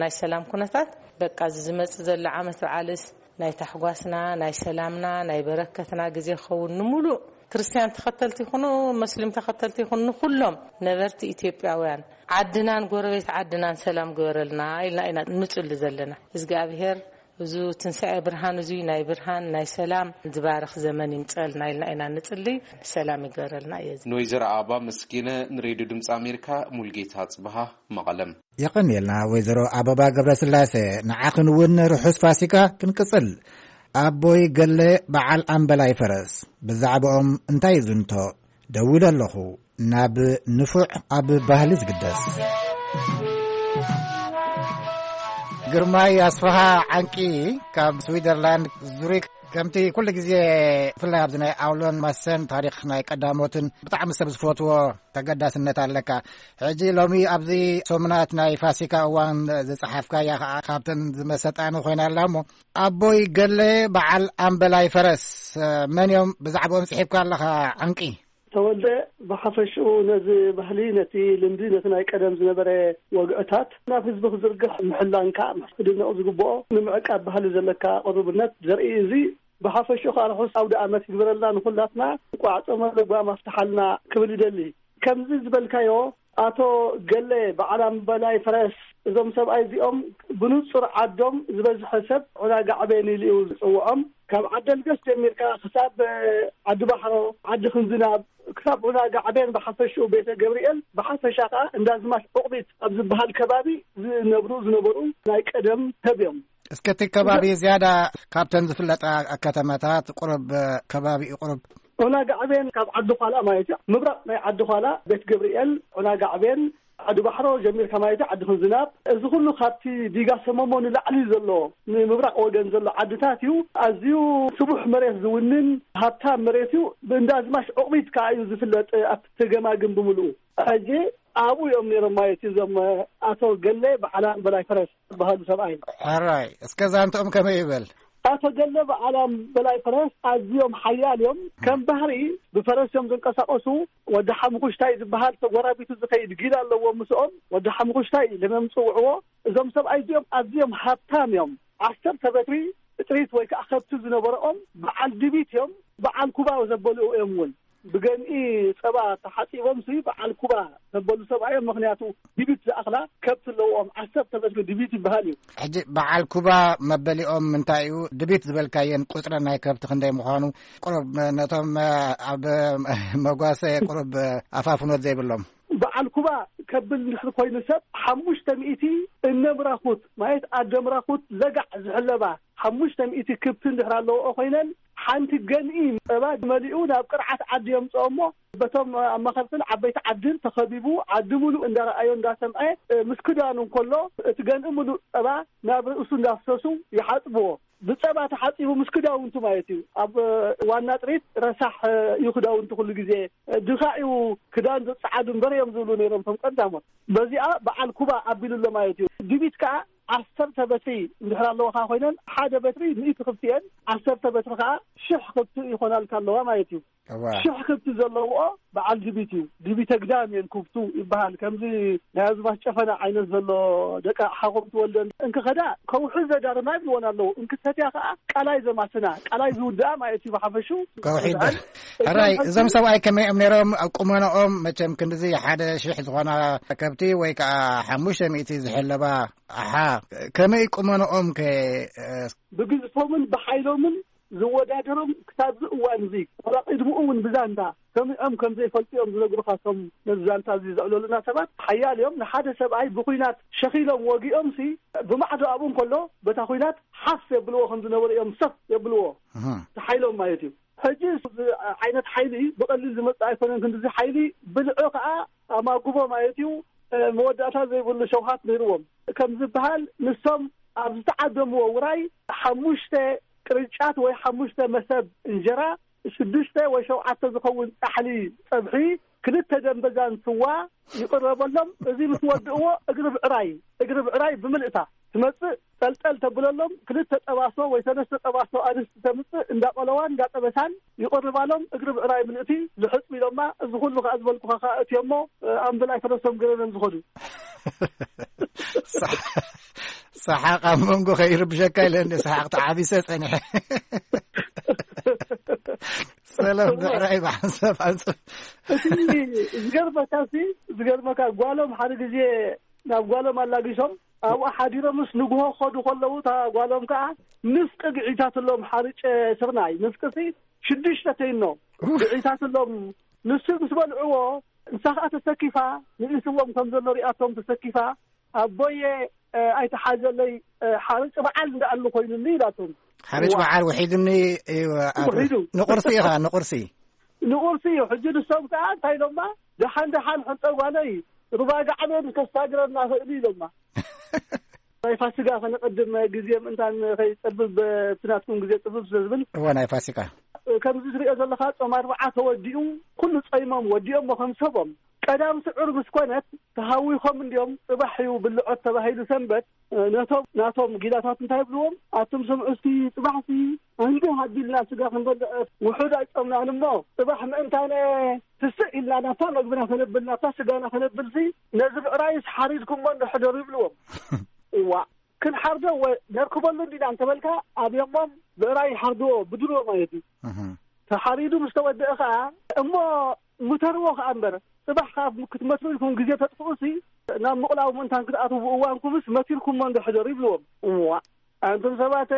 ናይ ሰላም ኩነታት በቃ እዚ ዝመጽእ ዘሎ ዓመት በዓልስ ናይ ታሕጓስና፣ ናይ ሰላምና፣ ናይ በረከትና ግዜ ክኸውን ንምሉእ ክርስትያን ተኸተልቲ ይኹኑ፣ መስሊም ተኸተልቲ ይኹኑ፣ ንኹሎም ነበርቲ ኢትዮጵያውያን ዓድናን ጎረቤት ዓድናን ሰላም ግበረልና ኢልና ኢና ንጽሊ ዘለና። እግዚኣብሔር እዚ ትንሳኤ ብርሃን፣ እዚ ናይ ብርሃን፣ ናይ ሰላም ዝባርኽ ዘመን ይምጸልና ኢልና ኢና ንጽሊ። ሰላም ይግበረልና እየ። ንወይዘሮ ኣበባ መስኪነ ንሬድዮ ድምፂ ኣሜሪካ ሙልጌታ ጽብሃ መቐለም። የቐንየልና ወይዘሮ ኣበባ ገብረስላሴ፣ ንዓኽን እውን ርሑስ ፋሲካ ክንቅጽል። ኣቦይ ገለ በዓል ኣምበላይ ፈረስ፣ ብዛዕባኦም እንታይ ይዝንቶ? ደዊለ ኣለኹ፣ ናብ ንፉዕ ኣብ ባህሊ ዝግደስ። ግርማይ ኣስፍሃ ዓንቂ ካብ ስዊዘርላንድ ዙሪክ፣ ከምቲ ኩሉ ግዜ ብፍላይ ኣብዚ ናይ ኣውሎን ማሰን ታሪኽ ናይ ቀዳሞትን ብጣዕሚ ሰብ ዝፈትዎ ተገዳስነት ኣለካ። ሕጂ ሎሚ ኣብዚ ሰሙናት ናይ ፋሲካ እዋን ዝጸሓፍካያ ኸዓ ካብተን ዝመሰጣኒ ኮይና ኣላ። እሞ ኣቦይ ገለ በዓል ኣምበላይ ፈረስ መን እዮም? ብዛዕባኦም ጽሒፍካ ኣለኻ ዓንቂ። ተወልደ፣ ብሓፈሽኡ ነዚ ባህሊ፣ ነቲ ልምዲ፣ ነቲ ናይ ቀደም ዝነበረ ወግዕታት ናብ ህዝቢ ክዝርግሕ ምሕላንካ ክድነቕ ዝግብኦ፣ ንምዕቃብ ባህሊ ዘለካ ቅሩብነት ዘርኢ፣ እዚ ብሓፈሽኡ ከዓ ርሑስ ኣውደ ኣመት ይግበረልና ንኹላትና፣ እንቋዕ ጾመ ለጓም ኣፍትሓልና ክብል ይደሊ። ከምዚ ዝበልካዮ ኣቶ ገለ በዓላም በላይ ፈረስ፣ እዞም ሰብኣይ እዚኦም ብንጹር ዓዶም ዝበዝሐ ሰብ ዑና ጋዕቤን ኢሉ እዩ ዝጽውዖም። ካብ ዓደልገስ ጀሚርካ ክሳብ ዓዲ ባሕሮ፣ ዓዲ ክንዝናብ፣ ክሳብ ዑና ጋዕቤን ብሓፈሽኡ ቤተ ገብርኤል፣ ብሓፈሻ ከኣ እንዳዝማች ዑቕቢት ኣብ ዝበሃል ከባቢ ዝነብሩ ዝነበሩ ናይ ቀደም ሰብ እዮም። እስከ እቲ ከባቢ ዝያዳ ካብተን ዝፍለጣ ከተማታት ቁሩብ፣ ከባቢኡ ቁሩብ። ዑና ጋዕቤን ካብ ዓዲ ዃላ ማለት እዩ። ምብራቕ ናይ ዓዲ ዃላ ቤት ገብርኤል፣ ዑና ጋዕቤን፣ ዓዲ ባሕሮ ጀሚርካ ማለት እዩ፣ ዓዲ ክንዝናብ። እዚ ኩሉ ካብቲ ዲጋ ሰመሞ ንላዕሊ ዘሎ፣ ንምብራቕ ወገን ዘሎ ዓድታት እዩ። ኣዝዩ ስቡሕ መሬት ዝውንን ሃብታም መሬት እዩ። ብእንዳ ኣዝማች ዑቕቢት ከኣ እዩ ዝፍለጥ ኣብቲ ተገማግም ብምልኡ። ሕጂ ኣብኡ እዮም ነይሮም ማለት እዩ፣ እዞም ኣቶ ገለ በዓላም በላይ ፈረስ ዝበሃሉ ሰብኣይ። ሕራይ፣ እስከ ዛንትኦም ከመይ ይበል? ኣቶ ገለ በዓላም በላይ ፈረስ ኣዝዮም ሓያል እዮም። ከም ባህሪ ብፈረስ እዮም ዝንቀሳቐሱ። ወዲ ሓሙኹሽታይ ዝበሃል ተጎራቢቱ ዝኸይድ ጊላ ኣለዎም ምስኦም። ወዲ ሓሙኹሽታይ ኢሎም እዮም ዝጽውዕዎ። እዞም ሰብኣይ እዚኦም ኣዝዮም ሃብታም እዮም። ዓሰርተ በትሪ ጥሪት ወይ ከዓ ከብቲ ዝነበረኦም በዓል ድቢት እዮም። በዓል ኩባ ዘበልኡ እዮም እውን። ብገንኢ ጸባ ተሓጺቦም ሲ በዓል ኩባ ዘበሉ ሰብኣይ እዮም። ምኽንያቱ ድቢት ዝኣኽላ ከብቲ ኣለዎም። ዓሰርተ በትሪ ድቢት ይበሃል እዩ። ሕጂ በዓል ኩባ መበሊኦም እንታይ እዩ? ድቢት ዝበልካየን ቁጽሪ ናይ ከብቲ ክንደይ ምዃኑ ቁሩብ ነቶም ኣብ መጓሰ ቁሩብ ኣፋፍኖት ዘይብሎም። በዓል ኩባ ከብል እንድሕር ኮይኑ ሰብ ሓሙሽተ ሚእቲ እነ ምራኹት ማለት ኣደ ምራኹት ዘጋዕ ዝሕለባ ሓሙሽተ ሚእቲ ክብቲ እንድሕር ኣለዎ ኮይነን ሓንቲ ገንኢ ጸባ መሊኡ ናብ ቅርዓት ዓዲ የምጽኦ እሞ በቶም ኣማኸርትን ዓበይቲ ዓድን ተኸቢቡ ዓዲ ሙሉእ እንዳረኣዮ እንዳሰምዐ ምስ ክዳኑ እንከሎ እቲ ገንኢ ሙሉእ ጸባ ናብ ርእሱ እንዳፍሰሱ ይሓጽብዎ። ብጸባ ተሓጺቡ ምስ ክዳውንቱ ማለት እዩ። ኣብ ዋና ጥሪት ረሳሕ እዩ ክዳውንቱ ኩሉ ግዜ። ድኻ እዩ ክዳን ዘጸዓዱ እምበር እዮም ዝብሉ ነይሮም እቶም ቀዳሞት። በዚኣ በዓል ኩባ ኣቢሉ ኣሎ ማለት እዩ። ድቢት ከኣ ዓሰርተ በትሪ እንድሕር ኣለዋኻ ኮይነን ሓደ በትሪ ሚእቲ ክብቲ እየን፣ ዓሰርተ በትሪ ከኣ ሽሕ ክብቲ ይኾናልካ ኣለዋ ማለት እዩ። እዋ። ሽሕ ክብቲ ዘለውኦ በዓል ድቢት እዩ። ድቢተ ግዳም እየን ክብቱ ይበሃል። ከምዚ ናይ ኣዝማች ጨፈና ዓይነት ዘሎ ደቂ ሓኾም ትወልደን እንክኸዳ ከውሒ ዘዳርማ ይብልወን ኣለዉ። እንክሰትያ ከኣ ቃላይ ዘማስና፣ ቃላይ ዝውድኣ ማለት እዩ ብሓፈሹ። ከውሒ ይበሃል። ሕራይ፣ እዞም ሰብኣይ ከመይ እዮም ነይሮም? ኣብ ቁመንኦም መቸም ክንድዚ ሓደ ሽሕ ዝኾና ከብቲ ወይ ከኣ ሓሙሽተ ሚእቲ ዝሕለባ ኣሓ፣ ከመይ ቁመንኦም ከ? ብግዝፎምን ብሓይሎምን ዝወዳደሮም ክሳብ እዚ እዋን እዚ፣ ዋላ ቅድሚኡ እውን ብዛንታ ሰሚዖም ከም ዘይፈልጡ እዮም ዝነግሩኻ። እቶም ነዚ ዛንታ እዚ ዘዕለሉና ሰባት ሓያል እዮም። ንሓደ ሰብኣይ ብኹናት ሸኺሎም ወጊኦም ሲ ብማዕዶ ኣብኡ እንከሎ በታ ኹናት ሓፍ የብልዎ ከም ዝነበሩ እዮም ሰፍ የብልዎ። እህ። እቲ ሓይሎም ማለት እዩ። ሕጂ እዚ ዓይነት ሓይሊ ብቐሊል ዝመጽእ ኣይኮነን። ክንድዚ ሓይሊ ብልዑ ከኣ ኣማጉቦ ማለት እዩ። መወዳእታ ዘይብሉ ሸውሃት ነይርዎም። ከም ዝበሃል ንሶም ኣብ ዝተዓደምዎ ውራይ ሓሙሽተ ቅርጫት ወይ ሓሙሽተ መሰብ እንጀራ፣ ሽዱሽተ ወይ ሸውዓተ ዝኸውን ጻሕሊ ጸብሒ፣ ክልተ ደንበዛን ስዋ ይቕረበሎም። እዚ ምስ ወድእዎ እግሪ ብዕራይ፣ እግሪ ብዕራይ ብምልእታ ትመጽእ። ጠልጠል ተብለሎም፣ ክልተ ጠባሶ ወይ ሰለስተ ጠባሶ ኣንስቲ ተምጽእ፣ እንዳቆለዋን እንዳጠበሳን ይቕርባሎም። እግሪ ብዕራይ ምልእቲ ልሕጽ ኢሎማ። እዚ ኩሉ ከኣ ዝበልኩኻ ከኣ እትዮሞ፣ ኣምብላይ ፈረሶም ገረን ዝኸዱ። ሰሓቕ ኣብ መንጎ ከይርብሸካ ኢለ እንደ ሰሓቕ ተዓቢሰ ጸኒሐ። ሰላም ብዕራይ ብሓንሳብ ሓንሳብ። እቲ ዝገርመካ ሲ፣ ዝገርመካ ጓሎም ሓደ ግዜ ናብ ጓሎም ኣላጊሶም ኣብኡ ሓዲሮምስ ንግሆ ክኸዱ ከለዉ እታ ጓሎም ከኣ ንፍቂ ግዒታትሎም ሓርጨ ስርናይ ንፍቂ ሲ ሽዱሽተ ተይኖ ግዒታትሎም። ንሱ ምስ በልዕዎ ንሳ ከኣ ተሰኪፋ ንኢስዎም ከም ዘሎ ሪኣቶም ተሰኪፋ ኣቦየ ኣይተሓዘለይ ሓርጭ በዓል እንዳኣሉ ኮይኑኒ ኢላቶም። ሓርጭ በዓል ውሒዱኒ እዩ። ኣቶ ውሒዱ። ንቁርሲ ኢኻ ንቁርሲ። ንቁርሲ እዩ። ሕጂ ንሶም ከኣ እንታይ ኢሎማ? ደሓን ደሓን ሕንጠ ጓለይ ሩባ ጋዕቤን ከስታግረና ኽእሉ ኢሎማ። ናይ ፋሲጋ ከነቐድም ግዜ ምእንታን ከይጸብብ እቲ ናትኩም ግዜ ጽብብ ስለ ዝብል። እወ ናይ ፋሲካ። ከምዚ ትሪኦ ዘለኻ ጾም ኣርብዓ ተወዲኡ ኩሉ ጸይሞም ወዲኦሞ ከም ሰቦም። ቀዳም ስዑር ምስ ኮነት ተሃዊኾም እንድዮም ጽባሕ እዩ ብልዖት ተባሂሉ ሰንበት ነቶም ናቶም ጊላታት እንታይ ይብልዎም ኣቱም ስምዑ እስቲ ጽባሕሲ ኣንድህ ኣቢልና ስጋ ክንበልዕ ውሑድ ኣይጾምናን እሞ ጽባሕ ምእንታነ ትስእ ኢልና ናብታ መግብና ከነብል ናብታ ስጋና ከነብልሲ ነዚ ብዕራይስ ሓሪድኩሞ እንዶ ሕደሩ ይብልዎም። እዋ ክንሓርዶ ወ ነርክበሉ እንዲና እንተበልካ ኣብዮሞም ብዕራይ ይሓርድዎ ብድሮ ማለት እዩ። ተሓሪዱ ምስ ተወደአ ኸዓ እሞ ምተርዎ ከኣ እምበር፣ ጽባሕ ከኣ ክትመትሩ ኢልኩም ግዜ ተጥፍኡሲ፣ ናብ ምቕላው ምእንታን ክትኣትዉ ብእዋንኩምስ መቲርኩሞ እንዶ ሕደሩ ይብልዎም። እዋ፣ ኣንቱም ሰባት፣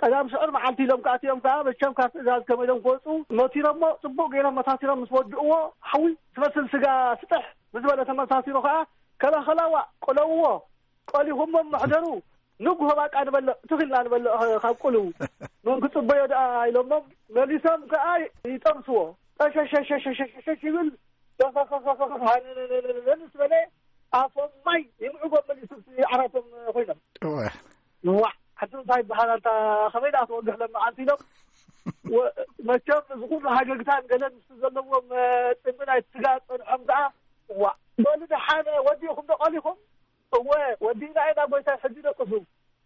ቀዳም ሽዑር መዓልቲ ኢሎም ክኣትዮም ከኣ፣ መቸም ካብ ትእዛዝ ከመይ ኢሎም ክወጹ መቲሮሞ፣ ጽቡቕ ገይሮም መታቲሮም ምስ ወድእዎ፣ ሓዊ ትመስል ስጋ ስጥሕ ምስ በለ ተመሳሲሩ ከኣ፣ ከላኸላዋ ቆለውዎ፣ ቆሊኹሞ ምሕደሩ፣ ንግሆ ባቃ ንበልዕ፣ ትኺልና ንበልዕ ካብ ቁልው። መን ክጽበዮ ደኣ ኢሎሞም፣ መሊሶም ከኣ ይጠብስዎ። ጠሸሸሸሸሸሸ ይብል፣ ሃንንንንንን ምስ በለ፣ ኣፎም ማይ ይምዕጎም መሊሱ፣ ዓራቶም ኮይኖም። እወ። ዋዕ፣ ሓንቲ እንታይ ይበሃል፣ ኣንታ ከመይ ደኣ ትወግሕ ለመዓንቲ ኢሎም። ወ-፣ መቸም እዚ ኩሉ ሃገግታን ገለን ምስ ዘለዎም፣ እ፣ ጽምኢ ናይ ስጋ ጸንሖም ደኣ፣ ዋዕ፣ በሉ ደሓን ወዲእኹም ዶ ቀሊኹም? እወ፣ ወዲእና ኢና ጎይታይ፣ ሕጂ ደቅሱ።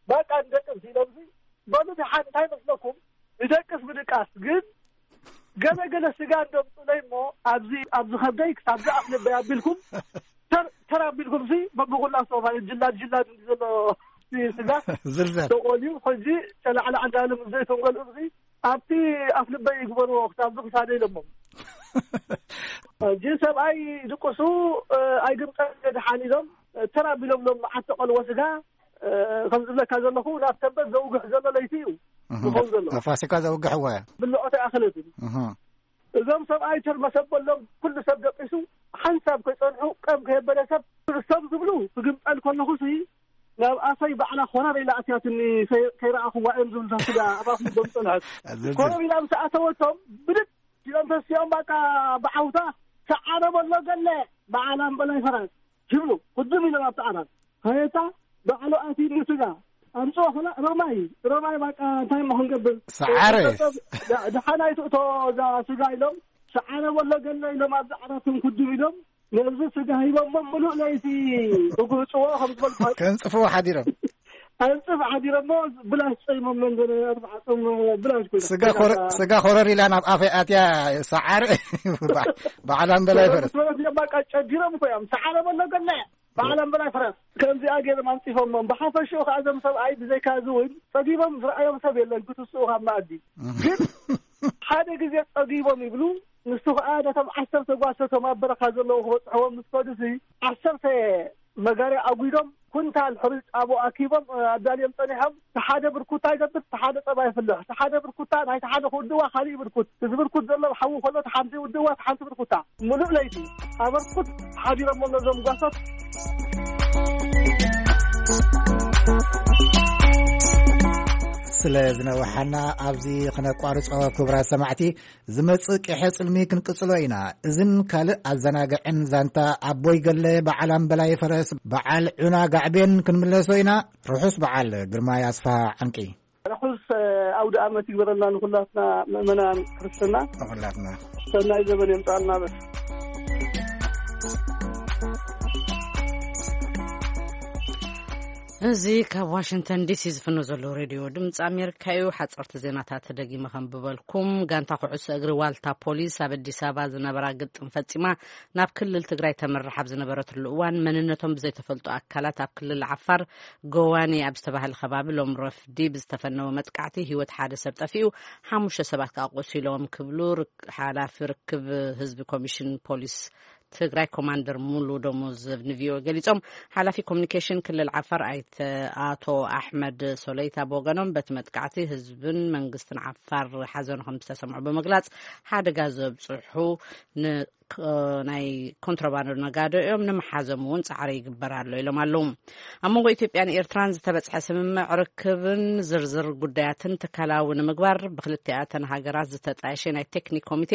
በቃ ንደቅስ ኢሎምሲ፣ በሉ ደሓን እንታይ መስለኩም? ንደቅስ ምድቃስ ግን፣ ገለ ገለ ስጋ እንደምጹለይ እሞ፣ ኣብዚ፣ ኣብዚ ከብደይ ክሳብ ዝኣፍ ልበይ ኣቢልኩም፣ ተር-፣ ተር ኣቢልኩምሲ፣ በብኹላ ሶፋ ጅላድ ጅላድ እንዲ ዘሎ ስጋ ዝልዘል። ተቆልዩ፣ ሕጂ ጨላዕላዕ እንዳለ ምስ ዘይተንገልኡምሲ፣ ኣብቲ ኣፍ ልበይ ይግበርዎ፣ ክሳብ ዝኽሳደ ኢሎሞም። ሕጂ ሰብኣይ ድቅሱ፣ እ፣ ኣይግምጠል ደሓን ኢሎም፣ እ፣ ተር ኣቢሎም ሎም መዓት ተቆልዎ ስጋ፣ እ፣ ከም ዝብለካ ዘለኹ፣ ናብ ሰንበት ዘውግሕ ዘሎ ለይቲ እዩ እህ፣ ዝኸውን ዘሎ። ፋሲካ ዘውግሕዎ እያ። ብልዖት ኣይኣኽለትን። እህ። እዞም ሰብኣይ ተር መሰበሎም ኩሉ ሰብ ደቂሱ፣ ሓንሳብ ከይጸንሑ፣ ቀም ከየበለ ሰብ፣ ሰብ ዝብሉ ክግምጠል ከለኹሲ፣ ናብ ኣፈይ ባዕላ ኮረር ኢላ ኣትያትኒ፣ ከይ-፣ ከይረኣኹዋ እዮም ዝብሉ፣ ስጋ ኣብ ኣፍ ልቦም ጸንሐት። ዝልዝል። ኮረር ኢላ ምስ ኣተወቶም፣ ብድድ ኢሎም ተሲኦም፣ በቃ ብዓውታ፣ ሰዓረ በሎ ገለ፣ በዓል ኣምበላይ ፈራስ፣ ይብሉ። ክድም ኢሎም ኣብቲ ዓራት። ሃየታ፣ ባዕሉ ኣትዩ ስጋ። ኣምጽኦ ኸላ፣ ረማይ፣ ረማይ፣ በቃ እንታይ እሞ ክንገብር? ሰዓረ። ደ-፣ ደሓን ኣይትእቶ እዛ ስጋ ኢሎም፣ ሰዓረ በሎ ገለ ኢሎም ኣብዚ ዓራቶም ክድም ኢሎም፣ ነዚ ስጋ ሂቦሞ ምሉእ ለይቲ ክጉህጽዎ ከም ዝበልኩ ከንጽፍዎ ሓዲሮም። ኣንጽፍ ሓዲሮሞ ብላሽ ጸይሞም መንገድ ኣርባዕቶም ብላሽ ኮይኑ። ስጋ ኮረ-፣ ስጋ ኮረር ኢላ ናብ ኣፈይ ኣትያ ሰዓረ። በዓ-፣ በዓል ኣምበላይ ፈረስ። በቃ ጨዲሮም እኮ እዮም። ሰዓረ በሎ ገለ በዓል ኣምበላይ ፈረስ። ከምዚኣ ገይሮም ኣንጺፎሞም። ብሓፈሽኡ ከኣ እዞም ሰብኣይ ብዘይካ እዚ እውን ጸጊቦም ዝረኣዮም ሰብ የለን ክትስኡ ካብ መኣዲ። እህ። ግን ሓደ ግዜ ጸጊቦም ይብሉ። ንሱ ከኣ ነቶም ዓሰርተ ጓሶቶም ኣብ በረኻ ዘለዉ ክበጽሕዎም ምስ ከዱሲ፣ ዓሰርተ መጋርያ ኣጒዶም፣ ኩንታል ሕሩጭ ጣቦ ኣኪቦም፣ እ፣ ኣዳልዮም ጸኒሖም። እቲ ሓደ ብርኩታ ይገብር፣ እቲ ሓደ ጸባ ይፍልሕ። እቲ ሓደ ብርኩታ ናይቲ ሓደ ክውድዋ፣ ካሊእ ብርኩት። እዚ ብርኩት ዘሎ ሓዊ ከሎ፣ እቲ ሓንቲ ይውድዋ፣ እቲ ሓንቲ ብርኩታ። ምሉእ ለይቲ ኣበርኩት ሓዲሮም ኣለዉ እዞም ጓሶት። ስለ ዝነውሓና ኣብዚ ክነቋርጾ፣ ክቡራት ሰማዕቲ፣ ዝመጽእ ቅሐ ጽልሚ ክንቅጽሎ ኢና። እዝን ካልእ ኣዘናግዕን ዛንታ ኣቦይ ገለ በዓል ኣምበላይ ፈረስ በዓል ዑና ጋዕቤን ክንምለሶ ኢና። ርሑስ በዓል ግርማይ ኣስፋ ዓንቂ። ርሑስ፣ እ፣ ኣውደ ኣመት ይግበረልና ንኹላትና ምእመናን ክርስትና። ንኹላትና። ሰናይ ዘበን የምጻልና በል። እዚ ካብ ዋሽንግተን ዲሲ ዝፍኖ ዘሎ ሬድዮ ድምፂ ኣሜሪካ እዩ። ሓፀርቲ ዜናታት ደጊመ ከንብበልኩም። ጋንታ ኩዕሶ እግሪ ዋልታ ፖሊስ ኣብ ኣዲስ ኣበባ ዝነበራ ግጥም ፈፂማ ናብ ክልል ትግራይ ተምርሕ ኣብ ዝነበረትሉ እዋን፣ መንነቶም ብዘይተፈልጡ ኣካላት ኣብ ክልል ዓፋር ጎዋኔ ኣብ ዝተባህለ ከባቢ ሎም ረፍዲ ብዝተፈነወ መጥቃዕቲ ህይወት ሓደ ሰብ ጠፊኡ፣ ሓሙሽተ ሰባት ከዓ ቆሲሎም ክብሉ ርክ-፣ ሓላፊ ርክብ ህዝቢ ኮሚሽን ፖሊስ ትግራይ ኮማንደር ሙሉ ደሞዝ ንቪኦኤ ገሊጾም። ሓላፊ ኮሚኒኬሽን ክልል ዓፋር ኣይተ ኣቶ ኣሕመድ ሶለይታ ብወገኖም፣ በቲ መጥቃዕቲ ህዝብን መንግስትን ዓፋር ሓዘኑ ከም ዝተሰምዑ ብምግላጽ፣ ሓደጋ ዘብጽሑ ን-፣ ክ-፣ ናይ ኮንትሮባንዶ ነጋዶ እዮም፣ ንምሓዞም እውን ጻዕሪ ይግበር ኣሎ ኢሎም ኣለዉ። ኣብ መንጎ ኢትዮጵያን ኤርትራን ዝተበጽሐ ስምምዕ ርክብን ዝርዝር ጉዳያትን ትካላዊ ንምግባር ብክልቲኣተን ሃገራት ዝተጣየሸ ናይ ቴክኒክ ኮሚቴ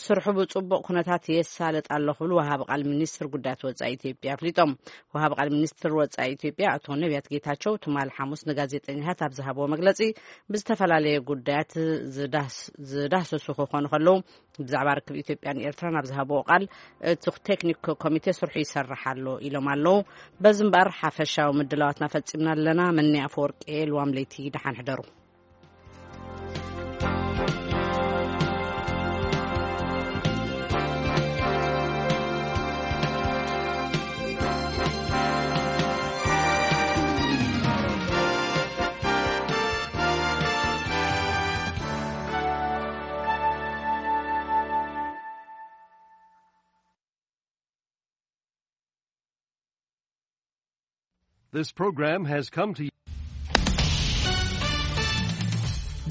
ስርሑ ብጽቡቕ ኩነታት የሳልጥ ኣሎ ክብሉ ወሃቢ ቃል ሚኒስትር ጉዳያት ወጻኢ ኢትዮጵያ ኣፍሊጦም። ወሃቢ ቃል ሚኒስትር ወጻኢ ኢትዮጵያ ኣቶ ነቢያት ጌታቸው ትማል ሓሙስ ንጋዜጠኛታት ኣብ ዝሃብዎ መግለጺ፣ ብዝተፈላለየ ጉዳያት ዝዳህስ-፣ ዝዳህሰሱ ክኾኑ ከለዉ፣ ብዛዕባ ርክብ ኢትዮጵያን ኤርትራን ኣብ ዝሃብዎ ቃል፣ እቲ ቴክኒክ ኮሚቴ ስርሑ ይሰርሕ ኣሎ ኢሎም ኣለዉ። በዚ እምበኣር ሓፈሻዊ ምድላዋትና ፈጺምና ኣለና። መኒ ኣፈወርቂ፣ ልዋም ለይቲ፣ ደሓን ሕደሩ። This program has come to